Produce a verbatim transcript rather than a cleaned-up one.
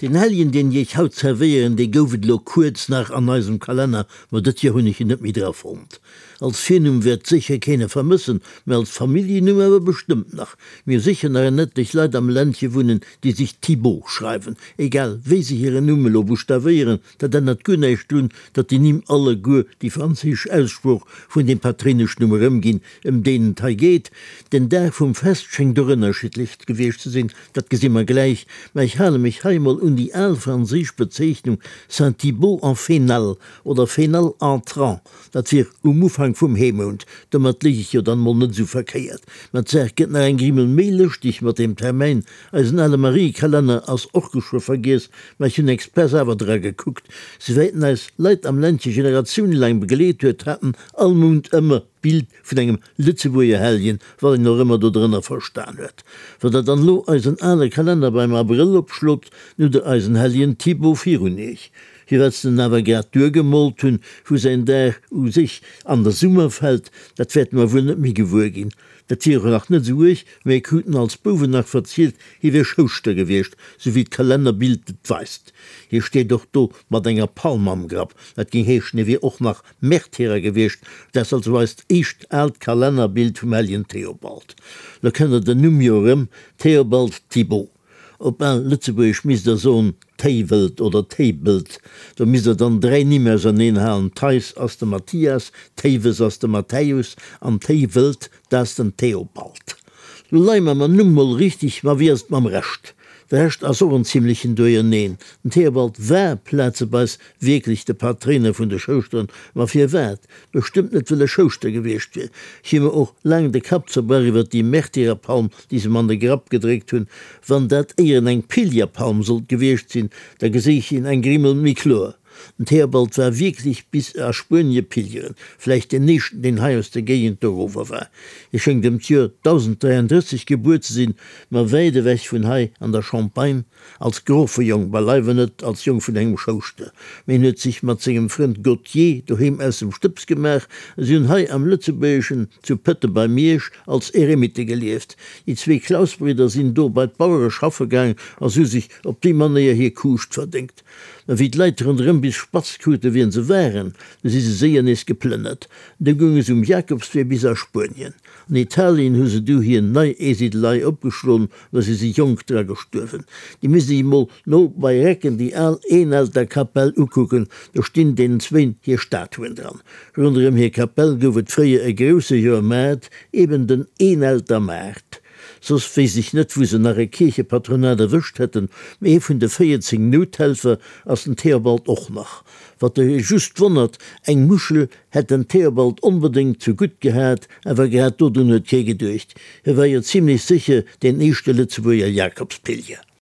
Den Helljen, deen ech iech haut zerwéieren, dee gouf et elo kuerz nach an eisem Kalenner, ma dëst Joer hunn ech en net méi dra fonnt. Als Virnumm wäert sécher keen e vermëssen, mä als Familljennumm awer bestëmmt nach. Mir hu sécher nach en etlech Leit am Ländche wunnen, déi sech Thibault schreiwen. Egal wéi se hiren Numm elo buschtawéieren, dat ännert guer näischt drun, datt déi Nimm alleguer déi franséisch Aussprooch vun deem Patréineschnumm erëmginn, ëm deen et hei geet. Den Dag vum Fest schéngt och ënnerschiddlech gewiescht ze sinn, dat gesi mer gläich, mä ech hale mech hei emol un déi al franséisch Bezeechnung Saint-Thibault en Fénal oder Fénal entrant, dat wier um Ufank vum Heemount. Domat léich ech jo dann emol net esou verkéiert. Mä d'Saach gëtt nach eng Grimmel méi lëschteg mat deem Termäin. Eisen ale Mariekalenner ass och geschwë vergiess, mä ech hunn express awer dra gekuckt. Souwäit en eis Leit am Ländche generatiounelaang begleet huet, hat en all Mount ëmmer d'Bild vun engem Lëtzebuerger Helljen, wat een och ëmmer dodrënner verstan huet. Wann Der dann elo eisen ale Kalenner beim Abrëll opschlot, dann hutt Der eisen Helljen Thibaut virun Iech. Firwat se en awer grad duergemoolt hunn, wou säin Dag u sech an de Summer fält, dat wäerte mer wuel net méi gewuer ginn. Dat wier och nach net esou uerg, mä mir kruten als Bouwen nach verzielt, hie wier Schouschter gewiescht, sou wéi d'Kalennerbild et weist. Hie steet och do mat enger Palm am Grapp, dat géing heeschen, hie wier och nach Märtyrer gewiescht. Dat ass also eist éischt aalt Kalennerbild vum helljen Theobald. Lo kennt der den Numm jo erëm, Théobald Thibault. Op al Lëtzebuergesch misst der soen Téiwelt oder Téibelt. Do misst der dann dräi Nimm auserneen halen, Theis ass de Mathias, Théiwes ass de Matthäus an Téiwelt, dat ass den Theobald. Lo leie mer mam Numm mol richteg, ma wéi ass et mam Rescht? De Rescht ass och en zimlechen Duerjerneen. Den Theobald war plazeweis wierklech de Patréiner vun de Schouschteren, ma firwat? Bestëmmt net wëll e Schouschter gewiescht wier. Ech hu mer och laang de Kapp zerbrach iwwer déi Märtyrerpalm, déi se em an de Grapp gedréckt hunn. Wann dat éieren eng Pilgerpalm sollt gewiescht sinn, da geséich een eng Grimmel méi kloer. Den Theobald war wierklech bis a Spuenie pilgeren, vläicht deen éischten, deen hei aus der Géigend dorower war. Hie schéngt ëm d'Joer dausend dräiandrësseg gebuer ze sinn, ma wäit ewech vun hei an der Champagne, als Grofejong, beileiwe net als Jong vun engem Schouschter. Mä hien huet sech mat sengem Frënd Gauthier doheem aus dem Stëbs gemaach a si hunn hei am Lëtzebuergeschen zu Pëtte bei Miersch als Eremitte gelieft. Déi zwee Klausbridder sinn do bei d'Bauere schaffe gaang a si hu sech op déi Manéier hir Kuuscht verdéngt. Mä wéi d'Leit ronderëm bis spatz krute wien se waren, du si se séier nees geplënnert. Du gounge se um Jakobswee bis a Spuenien. An Italien hu se du hir nei Eesidelei opgeschloen, ma si si jonk dra gestuerwen. Dir misst iech emol no bei Recken déi al Eenelter Kapell ukucken, do stinn deenen zwéin hir Statuen dran. Ronderëm hir Kapell gouf et fréier e grousse Joermaart, eben den Eenelter Maart. Soss wéisst ech net wou se nach e Kierchepatronat erwëscht hätten, mee ee vun de véierzéng Nouthelfer ass den Theobald och nach. Wat e just wonnert, eng Muschel hätt den Theobald onbedéngt zu gutt gehat, awer grad dodrun huet kee geduecht. Hie war jo zimlech sécher deen éischte Lëtzebuerger Jakobspilger.